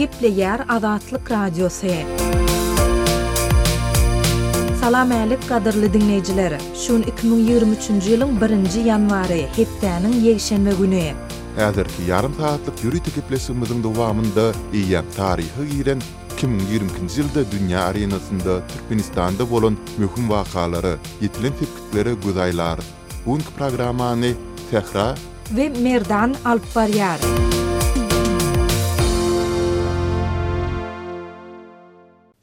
Gepleýär Azatlyk Radiosy. Salam älik gadyrly diňleýjiler! Şu gün 2023-nji ýylyň birinji ýanwary, hepdäniň ýekşenbe güni. Häzirki ýarym sagatlyk ýörite gepleşigimiziň dowamynda eýýäm taryha giren 2022-nji ýylda dünýä arenasynda Türkmenistanda bolan möhüm wakalara, ýetilen sepgitlere göz aýlarys. Bu günki programmany Sähra. We Merdan alyp barýar.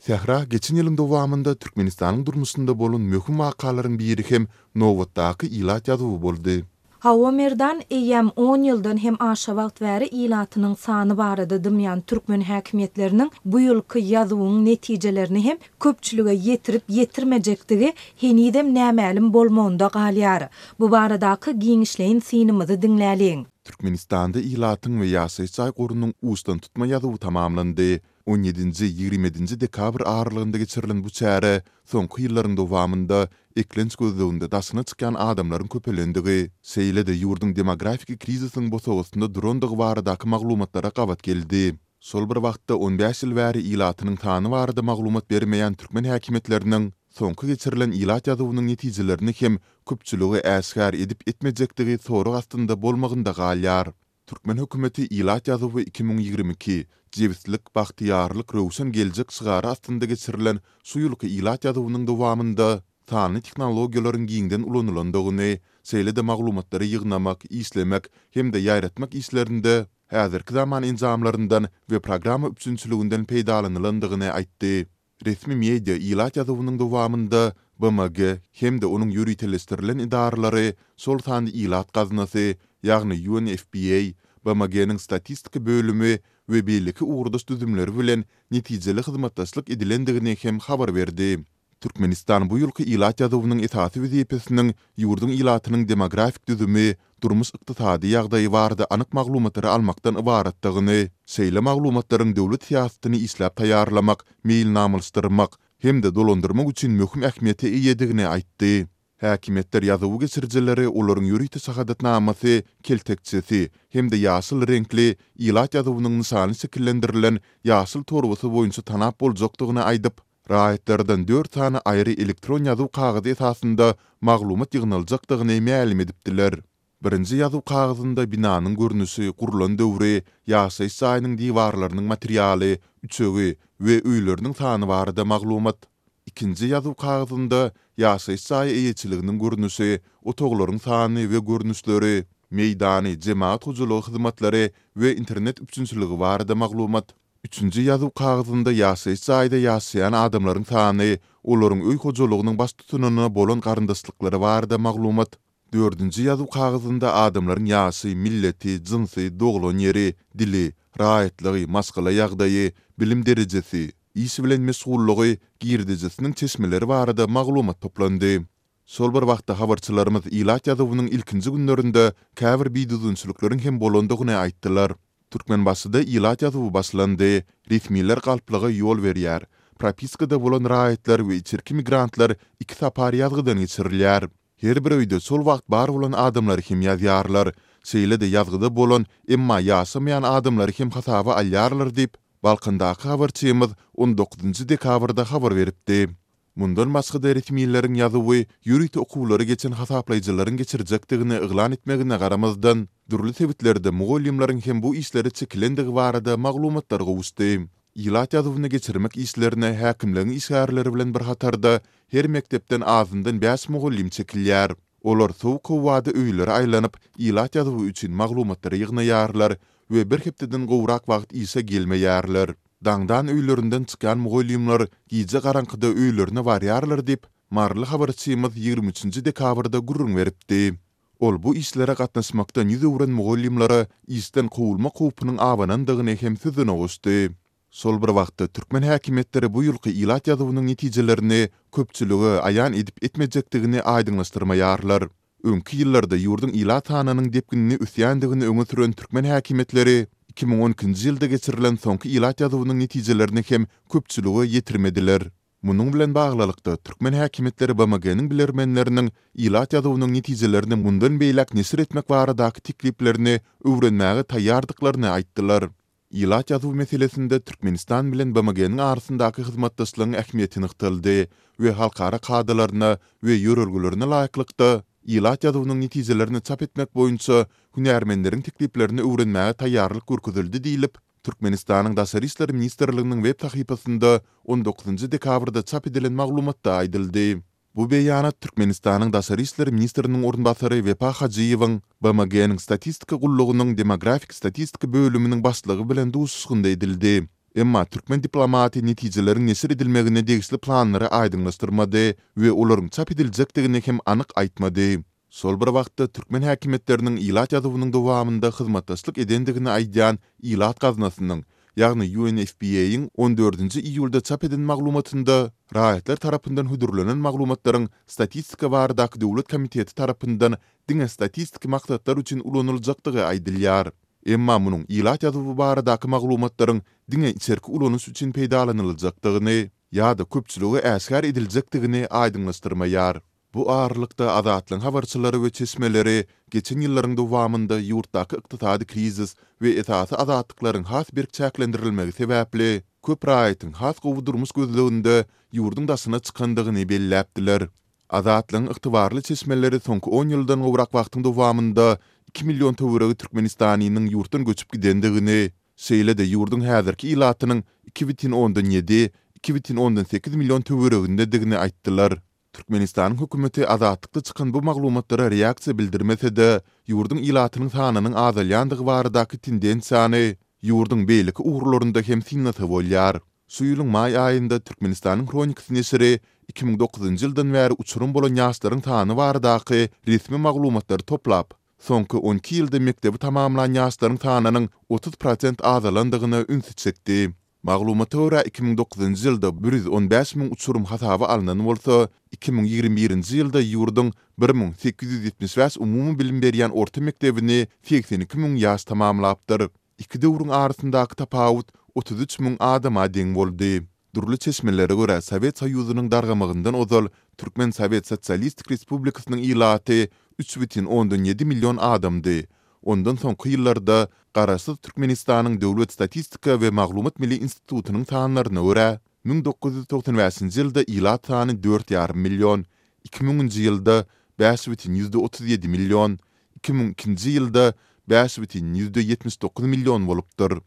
Sähra geçen ýylyň dowamynda Türkmenistanyň durmuşynda bolan möhüm wakalaryň biri hem nobatdaky ilat ýazuwy boldy. Hawa Merdan, eýýäm on ýyldan hem aşa wagt bäri ilatynyň sany barada dymýan türkmen häkimiýetleriniň bu ýylky ýazuwyň netijelerini hem köpçülige ýetirip ýetirmejekdigi henizem nämälim bolmagynda galýar. Bu baradaky giňişleýin synymyzy diňläliň. Türkmenistanda ilatyň we ýaşaýyş jaý gorunyň uçdantutma ýazuwy tamamlandy. On ýedinji, 20 ýedinji dekabr aralygynda geçirilen bu çäre soňky ýyllaryň dowamynda eklenç gözleginde daşyna çykýan adamlaryň köpelendigi, şeýle-de ýurduň demografiki krizisiň bosagasynda durandygy baradaky maglumatlara gabat geldi. Şol bir wagtda, on bäş ýyl bäri ilatynyň sany barada maglumat bermeýän türkmen häkimiýetleriniň soňky geçirilen ilat ýazuwynyň netijelerini hem köpçülige äşgär edip-etmejekdigi sorag astynda bolmagynda galýar. Türkmen hökümeti Ilat ýazuwy 2022, Jebislik, bagtyýarlyk, röwşen geljek şygary astynda geçirilen şu ýylky ilat ýazuwynyň dowamynda sanly tehnologiýalaryň giňden ulanylandygyny, şeýle-de maglumatlary ýygnamak, işlemek hem-de ýaýratmak işlerinde häzirki zaman enjamlaryndan we programma üpjünçiliginden peýdalanylandygyny aýtdy. Resmi media ilat ýazuwynyň dowamynda BMG hem-de onuň ýöriteleşdirilen edaralary, şol sanda Ilat gaznasy, ýagny UNFPA, BMG-niň Statistika bölümi we beýleki ugurdaş düzümleri bilen netijeli hyzmatdaşlyk edilendigini hem habar berdi. Türkmenistan bu ýylky ilat ýazuwynyň esasy wezipesiniň ýurduň ilatynyň demografik düzümi, durmuş-ykdysady ýagdaýy barada anyk maglumatlary almakdan ybaratdygyny, şeýle maglumatlaryň döwlet syýasatyny işläp taýýarlamak, meýilnamalaşdyrmak hem-de dolandyrmak üçin möhüm ähmiýete eýedigini aýtdy. Häkimiýetler ýazuwy geçirijileri olaryň ýörite şahadatnamasy, keltekçesi hem-de ýaşyl reňkli, ilat ýazuwynyň nyşany şekillendirilen ýaşyl torbasy boýunça tanap boljakdygyny aýdyp, Raýatlardan dört sany aýry elektron ýazuw kagyzy esasynda maglumat ýygnaljakdygyny mälim edipdiler. Birinji ýazuw kagyzynda binanyň görnüşi, gurlan döwri, ýaşaýyş jaýynyň diwarlarynyň materialy, üçegi we öýleriniň sany barada maglumat. Ikinji ýazuw kagyzynda ýaşaýyş jaýy eýeçiliginiň görnüşi, otaglaryň sany we görnüşleri, meýdany, jemagat hojalygy hyzmatlary we internet üpjünçiligi barada maglumat. Üçünji ýazuw kagyzynda ýaşaýyş jaýda ýaşaýan adamlaryň sany, olaryň öý hojalygynyň baştutanyna bolan garyndaşlyklary barada maglumat. Dördünji ýazuw kagyzynda adamlaryň ýaşy, milleti, jynsy, doglan ýeri, dili, raýatlygy, maşgala ýagdaýy, bilim derejesi, iş bilen meşgullygy, girdejisiniň çeşmeleri barada maglumat toplandy. Şol bir wagtda habarçylarymyz ilat ýazuwynyň ilkinji günlerinde käbir bidüzgünçilikleriň hem bolandygyny aýtdylar. Türkmenbaşyda ilat ýazuwy başlandy. Resmiler galplyga ýol berýär. Propiskada bolan raýatlar we içerki migrantlar iki sapar ýazgydan geçirilýär. Her bir öýde şol wagt bar bolan adamlary hem ýazýarlar. Şeýle-de ýazgyda bolan, emma ýaşamaýan adamlary hem hasaba alýarlar diýip, Balkandaky habarçymyz on dokuzynjy dekabrda habar beripdi. Mundan başga-da resmileriň ýazuwy ýörite okuwlary geçen hasaplaýjylaryň geçirjekdigini yglan etmegine garamazdan, dürli sebitlerde mugallymlaryň hem bu işlere çekilendigi barada maglumatlar gowuşdy. Ilat ýazuwyny geçirmek işlerine häkimligiň işgärleri bilen bir hatarda her mekdepden azyndan bäş mugallym çekilýär. Olar sowuk howada öýlere aýlanyp, ilat ýazuwy üçin maglumatlary ýygnaýarlar we bir hepdeden gowrak wagt işe gelmeýärler. Daňdan öýlerinden çykýan mugallymlar gije garaňkyda öýlerine barýarlar diýip, maryly habarçymyz 23 üçünji dekabrda gürrüň beripdi. Ol bu işlere gatnaşmakdan ýüz öwren mugallymlara işden kowulmak howpunyň abanandygyny hem sözüne goşdy. Şol bir wagtda, türkmen häkimiýetleri bu ýylky ilat ýazuwynyň netijelerini köpçülige aýan edip-etmejekdigini aýdyňlaşdyrmaýarlar. Öňki ýyllarda ýurduň ilat sanynyň depginli ösýändigini öňe süren türkmen häkimiýetleri 2012-nji ýylda geçirilen soňky ilat ýazuwynyň netijelerini hem köpçülige ýetirmediler. Munuň bilen baglylykda, türkmen häkimiýetleri BMG-niň bilermenleriniň ilat ýazuwynyň netijelerini mundan beýläk neşir etmek baradaky tekliplerini öwrenmäge taýýardyklaryny aýtdylar. Ilat ýazuwy meselesinde Türkmenistan bilen BMG-niň arasyndaky hyzmatdaşlygyň ähmiýeti nygtaldy we halkara kadalaryna we ýörelgelerine laýyklykda ilat ýazuwynyň netijelerini çap etmek boýunça hünärmenleriň tekliplerini öwrenmäge taýýarlyk görkezildi diýlip, Türkmenistanyň Daşary işler ministrliginiň web sahypasynda on dokuzynjy dekabrda çap edilen maglumatda aýdyldy. Bu beýanat Türkmenistanyň Daşary işler ministriniň orunbasary Wepa Hajyýewiň BMG-niň Statistika gullugynyň Demografik statistika bölüminiň başlygy bilen duşuşygynda edildi. Emma türkmen diplomaty netijeleriň neşir edilmegine degişli planlary aýdyňlaşdyrmady we olaryň çap ediljekdigini hem anyk aýtmady. Şol bir wagtda, türkmen häkimiýetleriniň ilat ýazuwynyň dowamynda hyzmatdaşlyk edendigini aýdýan Ilat gaznasynyň, ýagny UNFPA-yň on dördünji iýulda çap eden maglumatynda raýatlar tarapyndan hödürlenen maglumatlaryň Statistika baradaky döwlet komiteti tarapyndan diňe statistiki maksatlar üçin ulanyljakdygy aýdylýar. Emma munuň ilat ýazuwy baradaky maglumatlaryň diňe içerki ulanyş üçin peýdalanyljakdygyny ýa-da köpçülige äşgär ediljekdigini aýdyňlaşdyrmaýar. Bu aralykda, Azatlygyň habarçylary we çeşmeleri geçen ýyllaryň dowamynda ýurtdaky ykdysady krizis we esasy azatlyklaryň has berk çäklendirilmegi sebäpli, köp raýatyň has gowy durmuş gözleginde ýurduň daşyna çykandygyny belläpdiler. Azatlygyň ygtybarly çeşmeleri soňky on ýyldan gowrak wagtyň dowamynda iki million töweregi türkmenistanynyň ýurtdan göçüp gidendigini, şeýle-de ýurduň häzirki ilatynyň 2,7, 2,8 million töweregindedigini aýtdylar. Türkmenistanyň hökümeti Azatlykda çykan bu maglumatlara reaksiýa bildirmese-de, ýurduň ilatynyň sanynyň azalýandygy baradaky tendensiýany ýurduň beýleki ugurlarynda hem synlasa bolýar. Şu ýylyň maý aýynda Türkmenistanyň Hronikasy neşiri 2009-njy ýyldan bäri uçurym bolan ýaşlaryň sany baradaky resmi maglumatlary toplap, soňky on iki ýylda mekdebi tamamlan ýaşlaryň sanynyň 30 prosent azalandygyna ünsi çekdi. Maglumata görä, 2009-njy ýylda 115 müň uçurym hasaba alnan bolsa, 2021-nji ýylda ýurduň 1875 umumy bilim berýän orta mekdebini 82 müň ýaş tamamlapdyr. Iki döwrüň arasyndaky tapawut 33 müň adama deň boldy. Dürli çeşmelere görä, Sowet Soýuzynyň dargamagyndan ozal Türkmen Sowet Sosialistik Respublikasynyň ilaty 3,7 million adamdy. Ondan soňky ýyllarda Garaşsyz Türkmenistanyň Döwlet statistika we maglumat milli institutynyň sanlaryna görä, 1995-nji ýylda ilat sany dört ýarym million, iki müňünji ýylda 5,37 million, 2002-nji ýylda 5,79 million bolupdyr.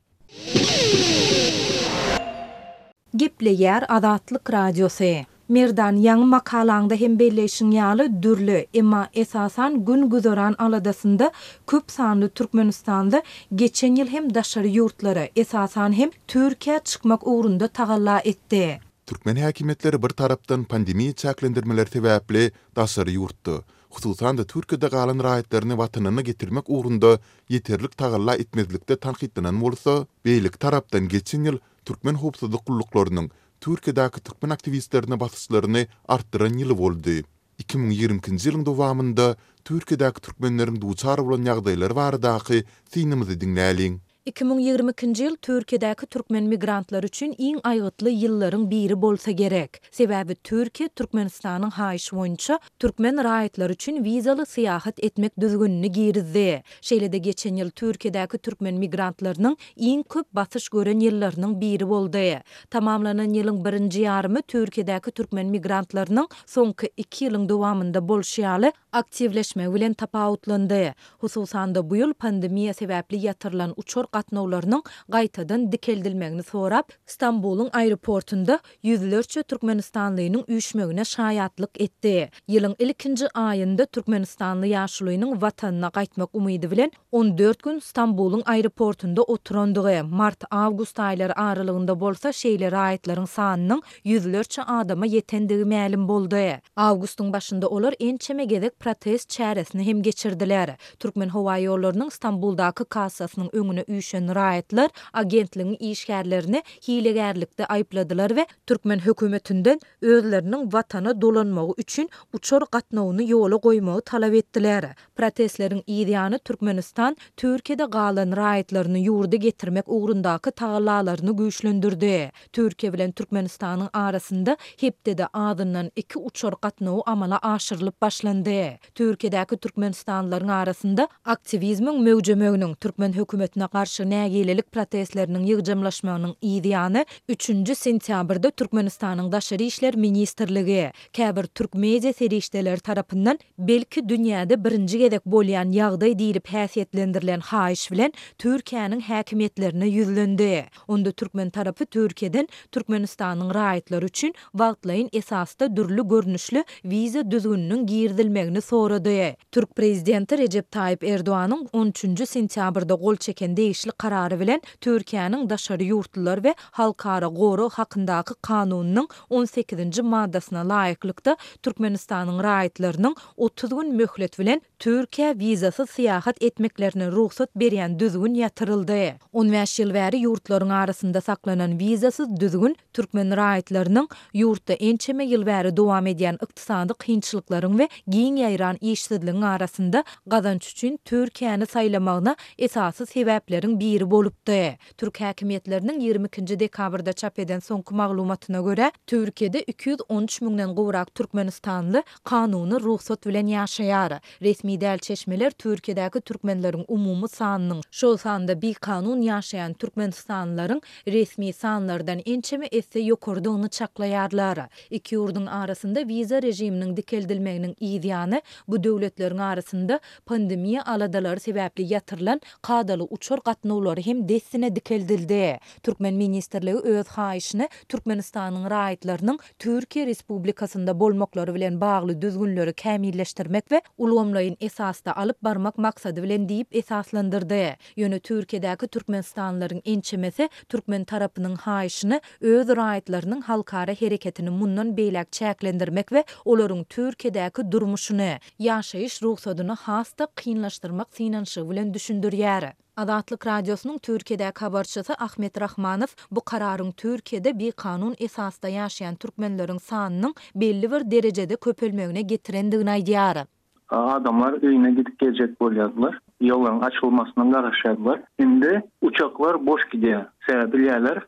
Gepleýär Azatlyk Radiosy. Merdan, ýaňy makalaňda hem belleýşiň ýaly, dürli, emma esasan gün-güzeran aladasynda köp sanly türkmenistanly geçen ýyl hem daşary ýurtlara, esasan hem Türkiýä çykmak ugrunda tagalla etdi. Türkmen häkimiýetleri bir tarapdan pandemiýa çäklendirmeleri sebäpli daşary ýurtda, hususan-da Türkiýede galan raýatlaryny watanyna getirmek ugrunda ýeterlik tagalla etmezlikde tankytlanan bolsa, beýleki tarapdan geçen ýyl türkmen howpsuzlyk gulluklarynyň Türkiýedäki türkmen aktiwistlerine basyşlaryny artdyran ýyly boldy. 2022-nji ýylyň dowamynda Türkiýedäki türkmenleriň duçar bolan ýagdaýlary baradaky synymyzy diňläliň. 2022-nji ýyl Türkiýedäki türkmen migrantlary üçin iň aýgytly ýyllaryň biri bolsa gerek. Sebäbi Türkiýe Türkmenistanyň haýyşy boýunça türkmen raýatlary üçin wizaly syýahat etmek düzgünini girizdi. Şeýle-de geçen ýyl Türkiýedäki türkmen migrantlarynyň iň köp basyş gören ýyllarynyň biri boldy. Tamamlanan ýylyň birinji ýarymy Türkiýedäki türkmen migrantlarynyň soňky iki ýylyň dowamynda bolşy ýaly aktiwleşmegi bilen tapawutlandy. Hususan-da, bu ýyl pandemiýa sebäpli ýatyrylan uçar gatnawlarynyň gaýtadan dikeldilmegini sorap, Stambulyň aeroportunda ýüzlerçe türkmenistanlynyň üýşmegine şaýatlyk etdi. Ýylyň ilkinji aýynda türkmenistanly ýaşulynyň watanyna gaýtmak umydy bilen 14 gün Stambulyň aeroportunda oturandygy, mart-awgust aýlary aralygynda bolsa şeýle raýatlaryň sanynyň ýüzlerçe adama ýetendigi mälim boldy. Awgustyň başynda olar ençeme gezek protest çäresini hem geçirdiler. Türkmenhowaýollarynyň Stambuldaky kassasynyň öňüne üýşen raýatlar agentligiň işgärlerini hilegärlikde aýypladylar we türkmen hökümetinden özleriniň watana dolanmagy üçin uçar gatnawyny ýola goýmagy talap etdiler. Protestleriň yz ýany Türkmenistan Türkiýede galan raýatlaryny ýurda getirmek ugrundaky tagallalaryny güýçlendirdi. Türkiýe bilen Türkmenistanyň arasynda hepdede azyndan iki uçar gatnawy amala aşyrylyp başlandy. Türkiýedäki türkmenistanlylaryň arasynda aktiwizmiň möwjemeginiň, türkmen hökümetine garşy. garşy nägilelik protestleriniň ýygjamlaşmagynyň yz ýany, üçünji sentýabrda Türkmenistanyň Daşary işler ministrligi, käbir türk media serişdeleri tarapyndan belki dünýäde birinji gezek bolýan ýagdaý diýlip häsiýetlendirilen haýyş bilen Türkiýäniň häkimiýetlerine ýüzlendi. Onda türkmen tarapy Türkiýeden Türkmenistanyň raýatlary üçin wagtlaýyn esasda dürli görnüşli wiza düzgüniniň girizilmegini sorady. Türk prezidenti Rejep Taýyp Erdoganyň on üçünji sentýabrda gol çeken degişli karary bilen Türkiýäniň daşary ýurtlular we halkara gorag hakyndaky kanunynyň on sekizinji maddasyna laýyklykda Türkmenistanyň raýatlarynyň 30 gün möhlet bilen Türkiýä wizasyz syýahat etmeklerine rugsat berýän düzgün ýatyryldy. On bäş ýyl bäri ýurtlaryň arasynda saklanan wizasyz düzgün türkmen raýatlarynyň ýurtda ençeme ýyl bäri dowam edýän ykdysady kynçylyklaryň we giň ýaýran işsizligiň arasynda gazanç üçin Türkiýäni saýlamagyna esasy sebäpleriň biri bolupdy. Türk häkimiýetleriniň 22-nji dekabrda çap eden soňky maglumatyna görä, Türkiýede 213 müňden gowrak türkmenistanly kanuny rugsat bilen ýaşaýar. Resmi däl çeşmeler Türkiýedäki türkmenleriň umumy sanynyň, şol sanda bikanun ýaşaýan türkmenistanlylaryň resmi sanlardan ençeme esse ýokarydygyny çaklaýarlar. Iki ýurduň arasynda wiza režiminiň dikeldilmeginiň yz ýany, bu döwletleriň arasynda pandemiýa aladalary sebäpli ýatyrylan kadaly uçar gatnawlary hem dessine dikeldildi. Türkmen ministrligi öz haýyşyny Türkmenistanyň raýatlarynyň Türkiýe Respublikasynda bolmaklary bilen bagly düzgünleri kämilleşdirmek we ulgamlaýyn esasda alyp barmak maksady bilen diýip esaslandyrdy. Ýöne Türkiýedäki türkmenistanlylaryň ençemesi türkmen tarapynyň haýyşyny öz raýatlarynyň halkara hereketini mundan beýläk çäklendirmek we olaryň Türkiýedäki durmuşyny, ýaşaýyş rugsadyny has-da kynlaşdyrmak synanyşygy bilen düşündirýär. Azatlyk Radiosynyň Türkiýedäki habarçysy Ahmet Rahmanow bu kararyň Türkiýede bikanun esasda ýaşaýan türkmenleriň sanynyň belli bir derejede köpelmegine getirendigini aýdýar. Adamlar öýüne gidip geljek bolýardylar. Ýollaryň açylmasyna garaşýardylar. Indi uçaklar boş gidýär. Sebäbi bilýärler,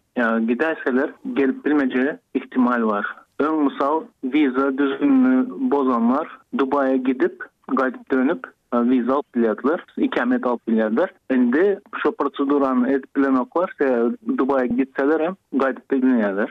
gidäýseler gelip bilmejegi ihtimal bar. Öň mysal wiza düzgünini bozanlar Dubaýa gidip, gaýdyp dönüp wiza alyp bilýärdiler, ikamet alyp bilýärdiler. Indi şo prosedurany edip bilenoklar, sebäbi Dubaýa gitseler hem gaýdyp bilmeýärler.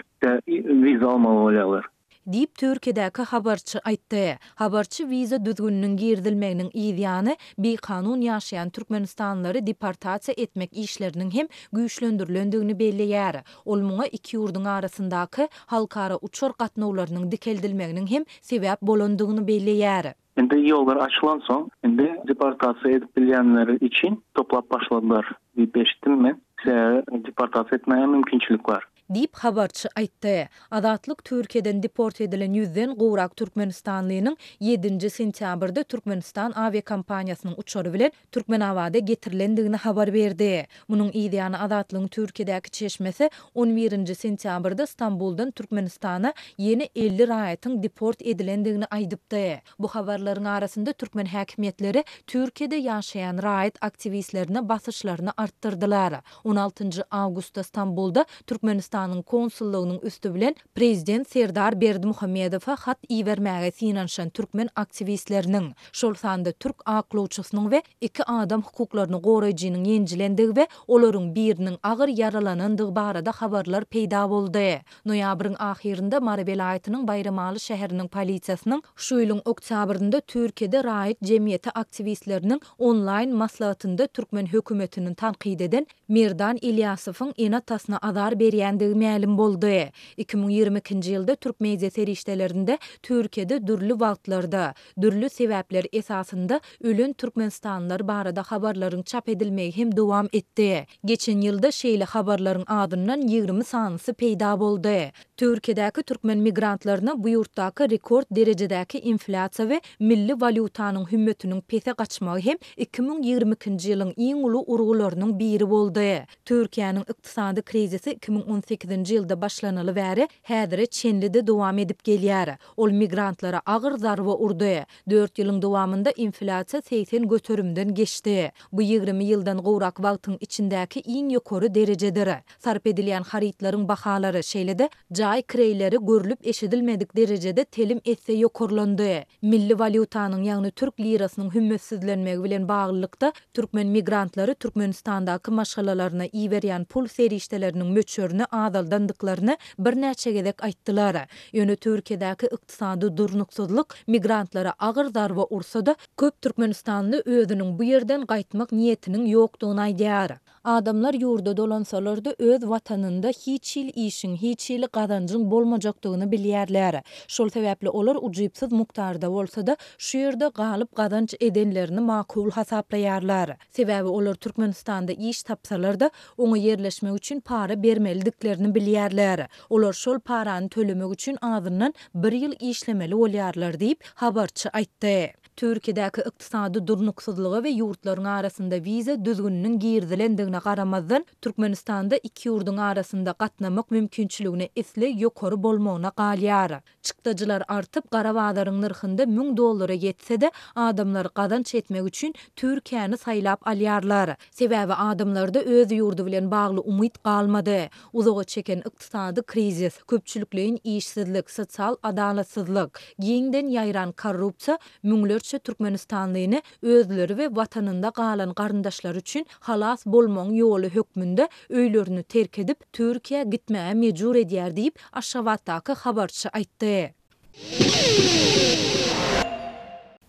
Wiza almaly bolýarlar. Diýip, Türkiýedäki habarçy aýtdy. Habarçy wiza düzgüniniň girizilmeginiň yz ýany, bikanun ýaşaýan türkmenistanlylary deportasiýa etmek işleriniň hem güýçlendirilendigini belleýär. Ol muňa iki ýurduň arasyndaky halkara uçar gatnawlarynyň dikeldilmeginiň hem sebäp bolandygyny belleýär. Indi ýollar açylansoň, indi deportasiýa edip bilýänleri üçin toplap başladylar diýip eşitdim men. Sebäbi deportasiýa etmäge mümkinçilik bar. Diýip, habarçy aýtdy. Azatlyk Türkiýeden deport edilen ýüzden gowrak türkmenistanlynyň ýedinji sentýabrda Türkmenistan awiakompaniýasynyň uçary bilen Türkmenabada getirilendigini habar berdi. Munuň yzýany Azatlygyň Türkiýedäki çeşmesi on birinji sentýabrda Stambuldan Türkmenistana ýene 50 raýatyň deport edilendigini aýdypdy. Bu habarlaryň arasynda türkmen häkimiýetleri Türkiýede ýaşaýan raýat aktiwistlerine basyşlaryny artdyrdylar. On altynjy awgustda Stambulda Türkmenistanyň konsullygynyň üsti bilen prezident Serdar Berdimuhamedowa hat ibermäge synanyşan türkmen aktiwistleriniň, şol sanda türk aklawçysynyň we iki adam hukuklaryny goraýjynyň ýenjilendigi we olaryň biriniň agyr ýaralanandygy barada habarlar peýda boldy. Noýabryň ahyrynda Mary welaýatynyň Baýramaly şäheriniň polisiýasynyň şu ýylyň oktýabrynda Türkiýede raýat jemgyýeti aktiwistleriniň onlaýn maslahatynda türkmen hökümetini tankyt eden Merdan Ilýasowyň ene-atasyna azar berýändigi mälim boldy. 2022-nji ýylda türk media serişdelerinde Türkiýede dürli wagtlarda, dürli sebäpler esasynda ölen türkmenistanlylar barada habarlaryň çap edilmegi hem dowam etdi. Geçen ýylda şeýle habarlaryň azyndan 20 sanysy peýda boldy. Türkiýedäki türkmen migrantlaryna bu ýurtdaky rekord derejedäki inflýasiýa we milli walýutanyň hümmetiniň pese gaçmagy hem 2022-nji ýylyň iň uly urgularynyň biri boldy. Türkiýäniň ykdysady krizisi 2018. sekizinji ýylda başlanaly bäri häzire çenli-de dowam edip gelýär. Ol migrantlara agyr zarba urdy. Dört ýylyň dowamynda inflýasiýa 80 göterimden geçdi. Bu 20 ýyldan gowrak wagtyň içindäki iň ýokary derejedir. Sarp edilýän harytlaryň bahalary, şeýle-de jaý kireýleri görlüp-eşidilmedik derejede telim esse ýokarlandy. Milli walýutanyň, ýagny türk lirasynyň hümmetsizlenmegi bilen baglylykda, türkmen migrantlary Türkmenistandaky maşgalalaryna iberýän pul serişdeleriniň möçberini azaldandyklaryny birnäçe gezek aýtdylar. Ýöne Türkiýedäki ykdysady durnuksyzlyk migrantlara agyr zarba ursa-da, köp türkmenistanly özüniň bu ýerden gaýtmak niýetiniň ýokdugyny aýdýar. Adamlar ýurda dolansalar-da öz watanynda hiç hili işiň, hiç hili gazanjyň bolmajakdygyny bilýärler. Şol sebäpli olar ujypsyz mukdarda bolsa-da, şu ýerde galyp gazanç edenlerini makul hasaplaýarlar. Sebäbi olar Türkmenistanda iş tapsalar-da, oňa ýerleşmek üçin para bermelidiklerini bilýärler. Olar şol parany tölemek üçin azyndan bir ýyl işlemeli bolýarlar diýip, habarçy aýtdy. Türkiýedäki ykdysady durnuksyzlyga we ýurtlaryň arasynda wiza düzgüniniň girizilendigine garamazdan, Türkmenistanda iki ýurduň arasynda gatnamak mümkinçiligine isleg ýokary bolmagyna galýar. Çykdajylar artyp, gara bazaryň nyrhynda müň dollara ýetse-de, adamlar gazanç etmek üçin Türkiýäni saýlap alýarlar. Sebäbi adamlarda öz ýurdy bilen bagly umyt galmady. Uzaga çeken ykdysady krizis, köpçülikleýin işsizlik, sosial adalatsyzlyk, giňden ýaýran korrupsiýa müňlerçe türkmenistanlyny özleri we watanynda galan garyndaşlary üçin halas bolmagyň ýoly hökmünde öýlerini terk edip, Türkiýä gitmäge mejbur edýär diýip, Aşgabatdaky habarçy aýtdy.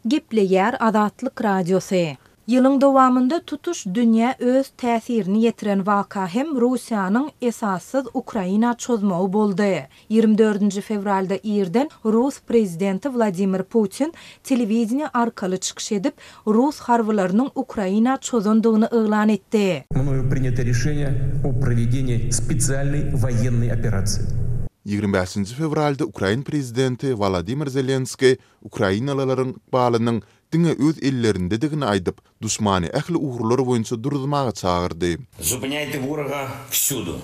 Gepleýär Azatlyk Radiosy. Ýylyň dowamynda tutuş dünýä öz täsirini ýetiren waka hem Russiýanyň esassyz Ukraina çozmagy boldy. Ýigrimi dördünji fewralda irden rus prezidenti Wladimir Putin telewideniýe arkaly çykyş edip, rus harbylarynyň Ukraina çozandygyny yglan etdi. Mnoýu prinýato rişeniýe o prowedenii spesialnoý woýennoý operasiýi. 25-nji fewralda ukrain prezidenti Wolodymyr Zelenskiý ukrainalylaryň ykbalynyň diňe öz ellerindedigini aýdyp, duşmany ähli ugurlar boýunça duruzmaga çagyrdy. Zupynýaýte woroga wsýudu,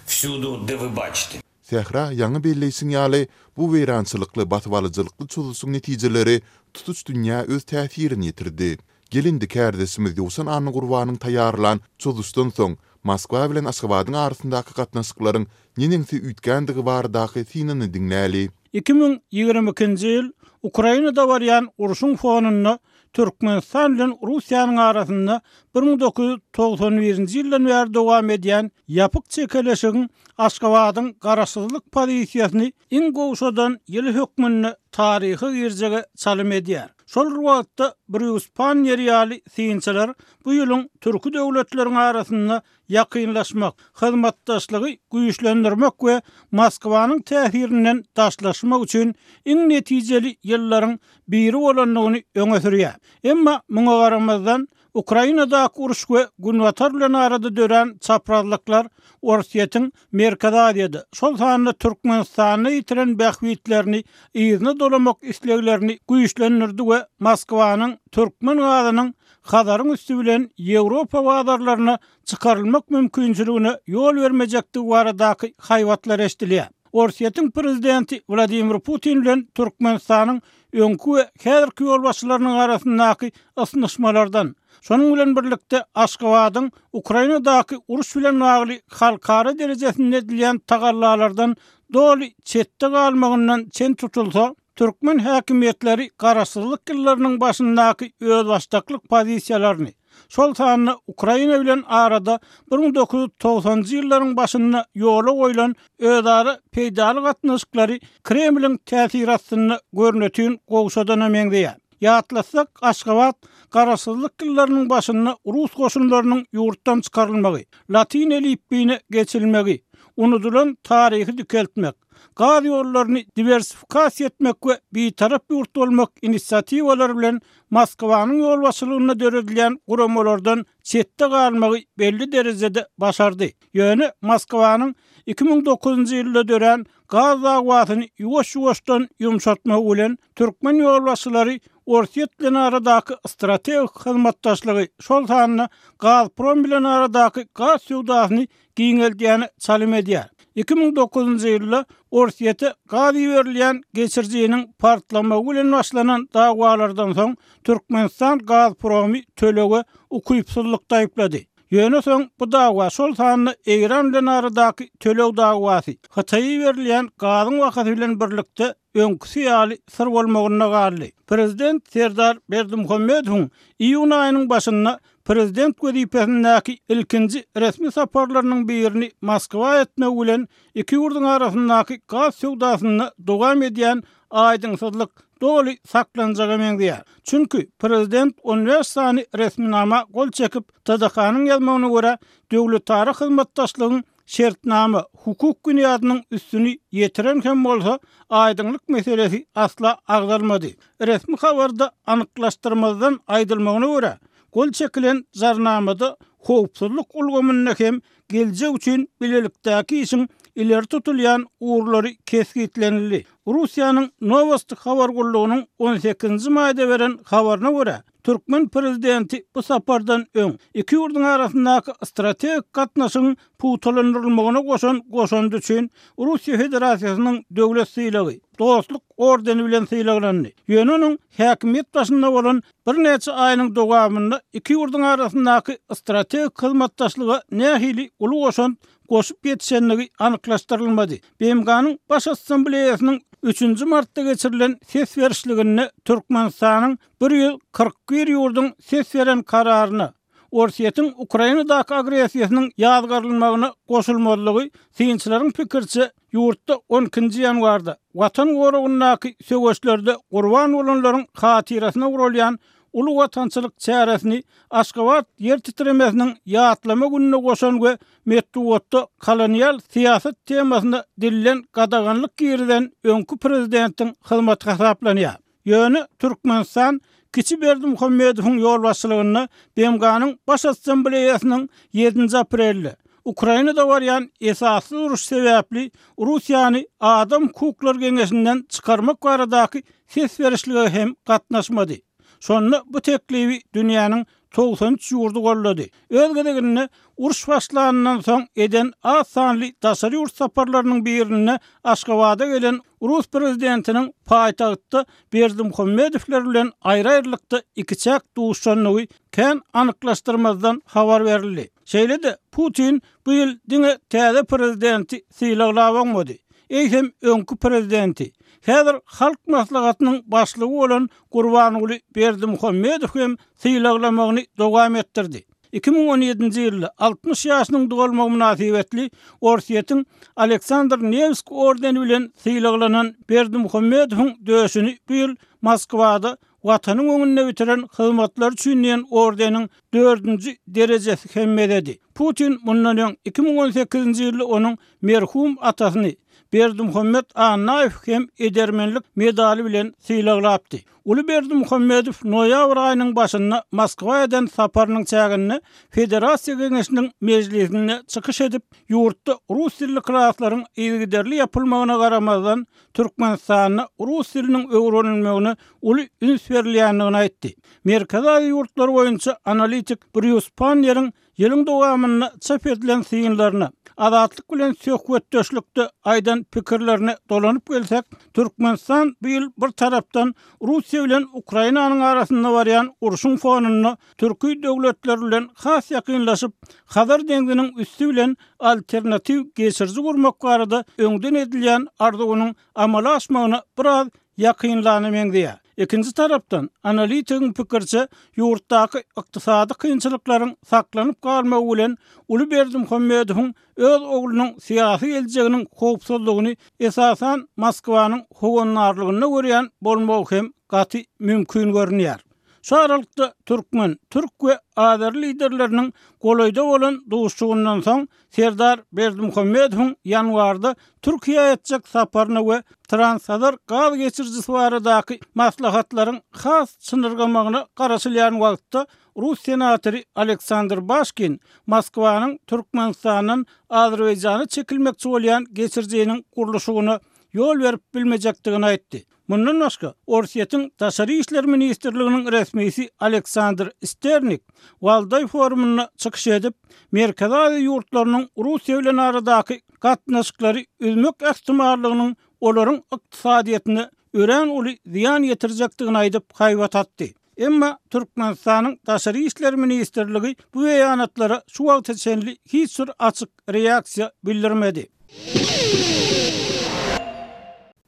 wsýudu, de wy baçite. Sähra, ýaňy belleýşiň ýaly, bu weýrançylykly, basybalyjylykly çozuşyň netijeleri tutuş dünýä öz täsirini ýetirdi. Gel indi kärdeşimiz Ýowşan Annagurbanyň taýýarlan Çozuşdan soň Moskwa bilen Aşgabadyň arasyndaky gatnaşyklaryň neneňsi üýtgändigi baradaky synyny diňläli. 2022-nji ýyl Ukrainada barýan urşuň fonunda Türkmenistan bilen Russiýanyň arasynda 1991-nji ýyldan bäri dowam edýän ýapyk çekeleşigiň Aşgabadyň garaşsyzlyk pozisiýasyny iň gowşadan ýyly hökmünde taryha girjege çalym edýär. Şol bir wagtda Brýus Pannier ýaly synçylar bu ýylyň türki döwletleriň arasynda ýakynlaşmak, hyzmatdaşlygy güýçlendirmek we Moskwanyň täsirinden daşlaşmak üçin iň netijeli ýyllaryň biri bolandygyny öňe sürýär. Emma muňa garamazdan, Ukrainadaky uruş we Günbatar bilen arada dörän çaprazlyklar Orsýetiň Merkezi Aziýada, şol sanda Türkmenistanda ýitiren bähbitlerini yzyna dolamak isleglerini güýçlendirdi we Moskwanyň türkmen gazynyň Hazaryň üsti bilen Ýewropa bazarlaryna çykarylmak mümkinçiligine ýol bermejekdigi baradaky haýbatlar eşidilýär. Orsýetiň prezidenti Wladimir Putin bilen Türkmenistanyň öňki we häzirki ýolbaşçylarynyň arasyndaky ysnyşmalardan, şonuň bilen birlikde Aşgabadyň Ukrainadaky uruş bilen bagly halkara derejesinde edilýän tagallalardan doly çetde galmagyndan çen tutulsa, türkmen häkimiýetleri garaşsyzlyk ýyllarynyň başyndaky özbaşdaklyk pozisiýalaryny, şol sanda Ukraina bilen arada 1990-njy ýyllaryň başynda ýola goýlan özara peýdaly gatnaşyklary Kremliň täsiri astynda görnetin gowşadana meňzeýär. Ýatlatsak, Aşgabat garaşsyzlyk ýyllarynyň başynda rus goşunlarynyň ýurtdan çykarylmagy, latyn elipbiýine geçilmegi, unudylan taryhy dikeltmek, gaz ýollaryny diwersifikasiýa etmek we bitarap ýurt bolmak inisiatiwalary bilen Moskwanyň ýolbaşçylygynda döredilýän guramalardan çetde galmagy belli derejede başardy. Ýöne Moskwanyň 2009-njy ýylda dörän gaz dawasyny ýuwaş-ýuwaşdan ýumşatmagy bilen türkmen ýolbaşçylary Orsýet bilen aradaky strategik hyzmatdaşlygy, şol sanda Gazprom bilen aradaky gaz söwdasyny giňeldýäne çalym edýär. 2009-njy ýylda Orsýete gaz iberilýän geçirijiniň partlamagy bilen başlanan dawalardan soň Türkmenistan Gazpromy tölege ukypsyzlykda aýyplady. Ýöne soň bu dawa, şol sanda Eýran bilen aradaky töleg dawasy, Hytaýa iberilýän gazyň bahasy bilen birlikde öňküsi ýaly syr bolmagynda galdy. Prezident Serdar Berdimuhamedowyň iýun aýynyň başynda prezident wezipesindäki ilkinji resmi saparlarynyň birini Moskwa etmegi bilen iki ýurduň arasyndaky gaz söwdasynda dowam edýän aýdyňsyzlyk doly saklanjaga meňzeýär. Çünki prezident on bäş sany resminama gol çekip, TDH-nyň ýazmagyna görä, döwletara hyzmatdaşlygyň şertnama, hukuk binýadynyň üstüni ýetiren hem bolsa, aýdyňlyk meselesi asla agzalmady. Resmi habarda anyklaşdyrmazdan aýdylmagyna görä, gol çekilen jarnamada howpsuzlyk ulgamynda hem geljek üçin bilelikdäki işiň ileri tutulýan ugurlary kesgitlenildi. Russiýanyň Nowosti habar gullugynyň on sekizinji maýda beren habaryna görä, türkmen prezidenti bu sapardan öň iki ýurduň arasyndaky strategik gatnaşygyň pugtalandyrylmagyna goşan goşandy üçin Russiýa Federasiýasynyň döwlet sylagy, Dostluk ordeni bilen sylaglandy. Ýöne onuň häkimiýet başynda bolan birnäçe aýynyň dowamynda iki ýurduň arasyndaky strategik hyzmatdaşlyga nähili uly goşant goşup ýetişendigi anyklaşdyrylmady. BMG-niň Baş Assambleýasynyň üçünji martda geçirilen ses berişliginde Türkmenistanyň 141 ýurduň ses beren kararyna, Orsýetiň Ukrainadaky agressiýasynyň ýazgarylmagyna goşulmazlygy synçylaryň pikiriçe, ýurtda on ikinji ýanwarda Watan goragyndaky söweşlerde gurban bolanlaryň hatyrasyna guralýan uly watançylyk çäresini Aşgabat ýer titremesiniň ýatlama gününe goşan we metbugatda kolonial syýasat temasyna dilden gadaganlyk girizen öňki prezidentiň hyzmaty hasaplanýar. Ýöne Türkmenistan kiçi Berdimuhamedowyň ýolbaşçylygynda BMG-niň Baş Assambleýasynyň ýedinji aprelde Ukrainada barýan esassyz uruş sebäpli Russiýany Adam hukuklary geňeşinden çykarmak baradaky ses berişlige hem gatnaşmady. Şonda bu teklibi dünýäniň 93 ýurdy goldady. Öz gezeginde, uruş başlanyndan soň eden az sanly daşary ýurt saparlarynyň birinde Aşgabada gelen rus prezidentiniň paýtagtda Berdimuhamedowler bilen aýry-aýrylykda ikiçäk duşandygy kän anyklaşdyrmazdan habar berildi. Şeýle-de, Putin bu ýyl diňe täze prezidenti sylaglap oňmady, eýsem öňki prezidenti, häzir Halk Maslahatynyň başlygy bolan Gurbanguly Berdimuhamedow hem sylaglamagyny dowam etdirdi. 2017-nji ýylda 60 ýaşynyň dolmagy mynasybetli Orsýetiň Aleksandr Newsk ordeni bilen sylaglanan Berdimuhamedowyň döşüni bu ýyl Moskwada Watanyň öňünde bitiren hyzmatlary üçin diýen ordeniň dördünji derejesi hem bezedi. Putin mundan öň 2018-nji ýylda onuň merhum atasyny, Berdimuhamet Annaýew hem edermenlik medaly bilen sylaglapdy. Uly Berdimuhamedow noýabr aýynyň başynda Moskwa eden saparynyň çäginde Federasiýa Geňeşiniň mejlisinde çykyş edip, ýurtda rus dilli klaslaryň yzygiderli ýapylmagyna garamazdan, Türkmenistanda rus diliniň öwrenilmegine uly üns berilýändigini aýtdy. Merkezi Aziýa ýurtlary boýunça analitik Brýus Panneriň Ýylyň dowamynda çap edilen synlaryna, Azatlyk bilen söhbetdeşlikde aýdan pikirlerine dolanyp gelsek, Türkmenistan bu ýyl bir tarapdan Russiýa bilen Ukrainanyň arasynda barýan urşuň fonunda türki döwletler bilen has ýakynlaşyp, Hazar deňziniň üsti bilen alternatiw geçiriji gurmak barada öňden edilýän arzuwynyň amala aşmagyna biraz ýakynlana meňzeýär. Ikinji tarapdan, analitigiň pikiriçe, ýurtdaky ykdysady kynçylyklaryň saklanyp galmagy bilen uly Berdimuhamedowyň öz oglunyň syýasy geljeginiň howpsuzlygyny esasan Moskwanyň howandarlygynda görýän bolmagy hem gaty mümkin görünýär. Şu aralykda türkmen, türk we azeri liderleriniň golaýda bolan duşuşygyndan soň Serdar Berdimuhamedowyň ýanwarda Türkiýä etjek saparyna we Transhazar gaz geçirijisi baradaky maslahatlaryň has çynyrgamagyna garaşylýan wagtda rus senatory Aleksandr Başkin Moskwanyň Türkmenistandan Azerbaýjana çekilmekçi bolýan geçirijiniň gurluşygyna ýol berip bilmejekdigini aýtdy. Mundan başga, Orsýetiň Daşary işler ministrliginiň resmisi Aleksandr Sternik Waldaý forumynda çykyş edip, Merkezi Aziýa ýurtlarynyň Russiýa bilen aradaky gatnaşyklary üzmek ähtimallygynyň olaryň ykdysadyýetine örän uly zyýan ýetirjekdigini aýdyp, haýbat atdy. Emma Türkmenistanyň Daşary işler ministrligi bu beýanatlara şu wagta çenli hiç bir açyk reaksiýa bildirmedi.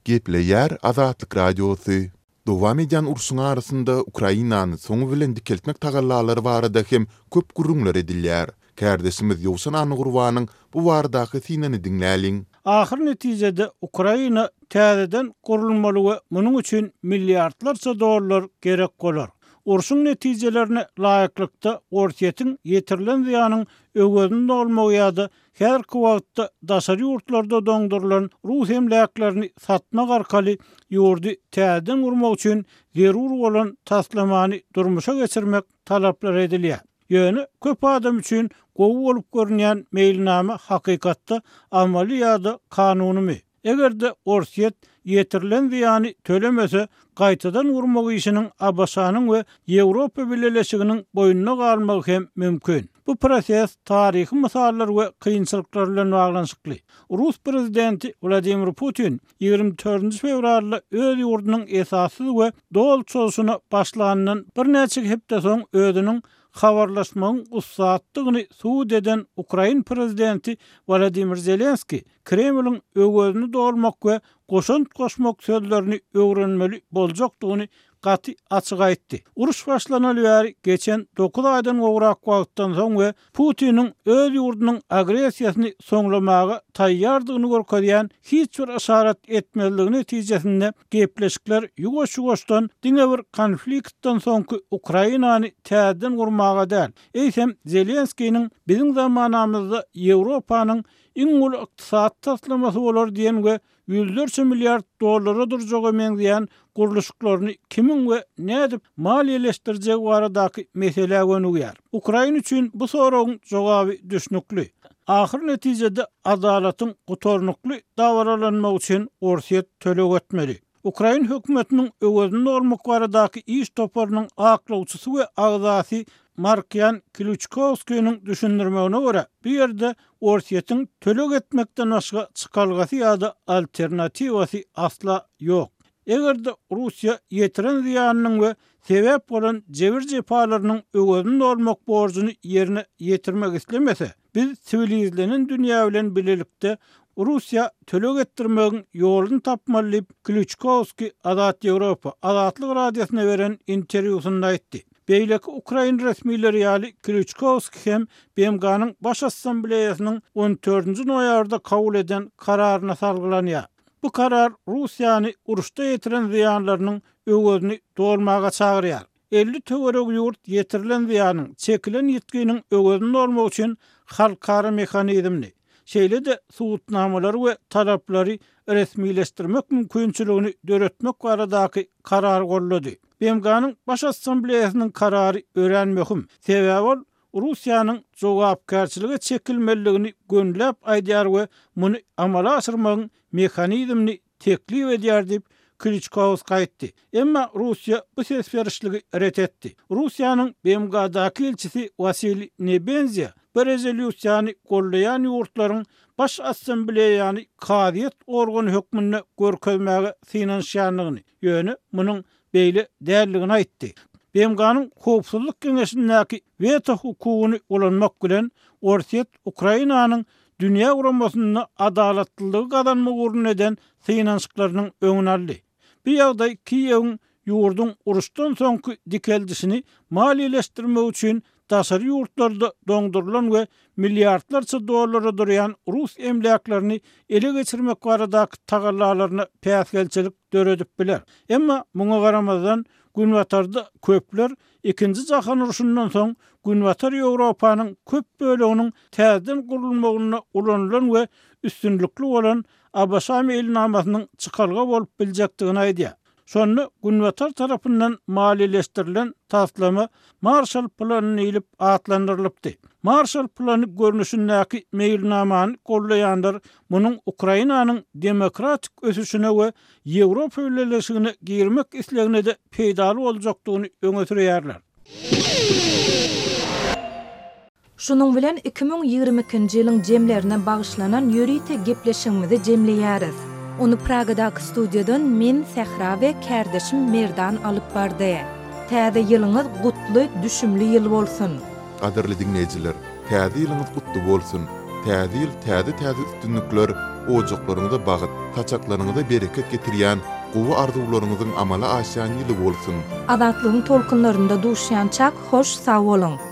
Gepleýär Azatlyk Radiosy. Dowam edýän urşuň arasynda Ukrainany soňy bilen dikeltmek tagallalary barada hem köp gürrüňler edilýär. Kärdeşimiz Ýowşan Annagurbanyň bu baradaky synyny diňläliň. Ahyr netijede Ukraina täzeden gurulmaly we munuň üçin milliardlarça dollar gerek bolar. Urşuň netijelerine laýyklykda Orsýetiň ýetirilen zyýanyň öwezini dolmagy ýa-da Häzirki wagtda daşary ýurtlarda doňdurylan rus emläklerini satmak arkaly ýurdy täzeden gurmak üçin zerur bolan taslamany durmuşa geçirmek talaplar edilýär. Ýöne köp adam üçin gowy bolup görünýän meýilnama hakykatda amaly ýa-da kanunymy? Eger-de Orsýet ýetirilen zyýany tölemese, gaýtadan gurmak işiniň ABŞ-nyň we Ýewropa Bileleşiginiň boýnuna galmagy hem mümkin. Bu proses taryhy mysallar we kynçylyklar bilen baglanyşykly. Rus prezidenti Wladimir Putin 24 fewralda öz ýurdunyň esassyz we doly çozuşyna başlanyndan birnäçe hepde soň özüniň habarlaşmagyň ussatdygyny subut eden ukrain prezidenti Wolodymyr Zelenskiý Kremliň öwezini dolmak we goşant goşmak sözlerini öwrenmeli boljakdygyny gaty açyk aýtdy. Uruş başlanaly bäri geçen dokuz aýdan gowrak wagtdan soň we Putiniň öz ýurdunyň agressiýasyny soňlamaga taýýardygyny görkezýän hiç bir yşarat etmezligi netijesinde gepleşikler ýuwaş-ýuwaşdan diňe bir konfliktden soňky Ukrainany täzeden gurmaga däl, eýsem Zelenskiniň biziň zamanamyzda Ýewropanyň iň uly ykdysady taslamasy bolar diýen we ýüzlerçe milliard dollara durjaga meňzeýän gurluşyklaryny kimiň we nädip maliýeleşdirjegi baradaky meselä gönügýär. Ukraina üçin bu soragyň jogaby düşnükli. Ahyr netijede adalatyň gutarnykly dabaralanmagy üçin Orsýet töleg etmeli. Ukrain hökümetiniň öwezini dolmak baradaky iş toparynyň aklawçysy we agzasy Markiýan Klýuçkowskiniň düşündirmegine görä, bu ýerde Orsýetiň töleg etmekden başga çykalgasy ýa-da alternatiwasy asla ýok. Eger-de Russiýa ýetiren zyýanynyň we sebäp bolan jebir-jepalarynyň öwezini dolmak borjuny ýerine ýetirmek islemese, Biz siwilizlenen dünýä bilen bilelikde Russiýa töleg etdirmegiň ýoluny tapmaly diýip, Klýuçkowskiý Azat Ýewropa, Azatlyk Radiosyna beren interwýusynda aýtdy. Beýleki ukrain resmileri ýaly Klýuçkowskiý hem BMG-niň Baş Assambleýasynyň on dördünji noýabrda kabul eden kararyna salgylanýar. Bu karar Russiýany uruşda ýetiren zyýanlarynyň öwezini dolmaga çagyrýar. 50 töweregi ýurt ýetirilen zyýanyň, çekilen ýitginiň öwezini dolmak üçin halkara mehanizmini, şeýle-de subutnamalary we talaplary resmileşdirmek mümkinçiligini döretmek baradaky karary goldady. BMG-niň Baş Assambleýasynyň karary örän möhüm, sebäbi ol Russiýanyň jogapkärçilige çekilmelidigini gönüläp aýdýar we muny amala aşyrmagyň mehanizmini teklip edýär diýip, Kliçkowskiý aýtdy. Emma Russiýa bu ses berişligi ret etdi. Russiýanyň BMG-daky ilçisi Wasiliý Nebenzýa bu rezolýusiýany goldaýan ýurtlaryň Baş Assambleýany kazyýet organy hökmünde görkezmäge synanyşýandygyny, ýöne munuň beýle däldigini aýtdy. BMG-niň Howpsuzlyk Geňeşindäki weto hukugyny ulanmak bilen, Orsýet Ukrainanyň dünýä guramasynda adalatlylygy gazanmak ugrunda eden synanyşyklarynyň öňüni aldy. Bu ýagdaý Kiýewiň ýurduň uruşdan soňky dikeldişini maliýeleşdirmek üçin daşary ýurtlarda doňdurylan we milliardlarça dollara durýan rus emläklerini ele geçirmek baradaky tagallalaryna päsgelçilik döredip biler. Emma muňa garamazdan, Günbatarda köpler Ikinji jahan urşundan soň Günbatar Ýewropanyň köp böleginiň täzeden gurulmagynda ulanylan we üstünlikli bolan ABŞ meýilnamasynyň çykalga bolup biljekdigini aýdýar. Şonda Günbatar tarapyndan maliýeleşdirilen taslama Marşal plany diýlip atlandyrylypdy. Marşal plany görnüşindäki meýilnamany goldaýanlar munuň Ukrainanyň demokratik ösüşine we Ýewropa Bileleşigine girmek islegine-de peýdaly boljakdygyny öňe sürýärler. Şunuň bilen 2022-nji ýylyň jemlerine bagyşlanan ýörite gepleşigimizi jemleýäris. Ony Pragadaky studiýadan men, Sähra we kärdeşim Merdan alyp bardy. Täze ýylyňyz gutly, düşümli ýyl bolsun! Gadyrly diňleýjiler, Täze ýylyňyz gutly bolsun! Täze ýyl täze-täze üstünlikler, ojaklaryňyza bagt, saçaklaryňyza bereket getirýän, gowy arzuwlaryňyzyň amala aşýan ýyly bolsun! Azatlygyň tolkunlarynda duşýançak hoş sag boluň!